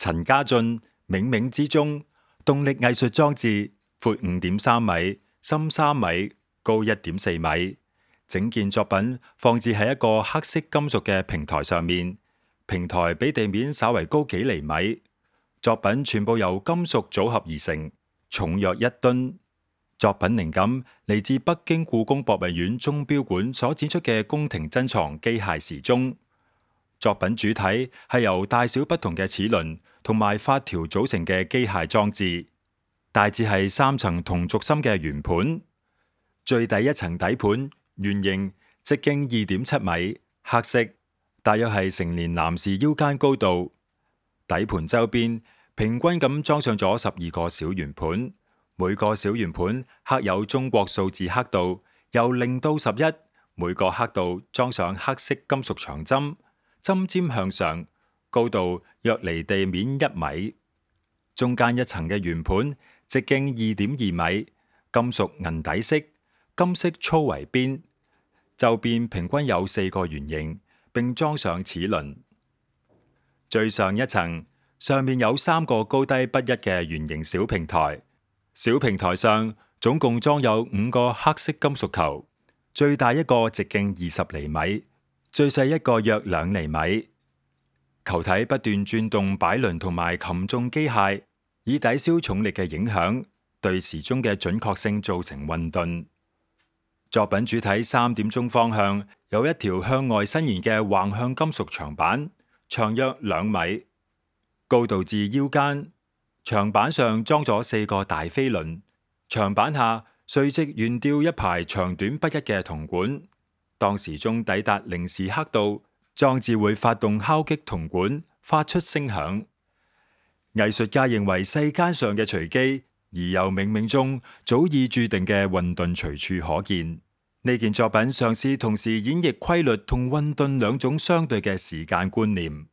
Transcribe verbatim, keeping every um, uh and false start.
陳家俊冥冥之中，動力藝術裝置闊五點三米，深三米，高一點四米。整件作品放置喺一個黑色金屬嘅平台上面，平台比地面稍為高幾厘米。作品全部由金屬組合而成，重約一噸。作品靈感嚟自北京故宮博物院鐘錶館所展出嘅宮廷珍藏機械時鐘。作品主體係由大小不同嘅齒輪同埋發條組成嘅機械裝置，大致係三層同軸心嘅圓盤。最底一層底盤圓形，直徑二點七米，黑色，大約係成年男士腰間高度。底盤周邊平均咁裝上咗十二個小圓盤，每個小圓盤刻有中國數字刻度，由零到十一，每個刻度裝上黑色金屬長針，針尖向上，高度約離地面一米。中間一層嘅圓盤直徑二點二米，金屬銀底色，金色粗圍邊，周邊平均有四個圓形，並裝上齒輪。最上一層上面有三個高低不一嘅圓形小平台，小平台上總共裝有五個黑色金屬球，最大一個直徑二十厘米，最細一個約兩厘米。球體不斷轉動擺輪同埋擒縱機械，以抵消重力嘅影響，對時鐘嘅準確性造成混沌。作品主體三點鐘方向有一條向外伸延嘅橫向金屬長板，長約兩米，高度至腰間。長板上裝咗四個大飛輪，長板下垂直懸吊一排長短不一嘅銅管。當時鐘抵達零時刻度，裝置會發動敲擊銅管，發出聲響。藝術家認為世間上嘅隨機而又冥冥中早已注定嘅混沌隨處可見。呢件作品嘗試同時演繹規律同混沌兩種相對嘅時間觀念。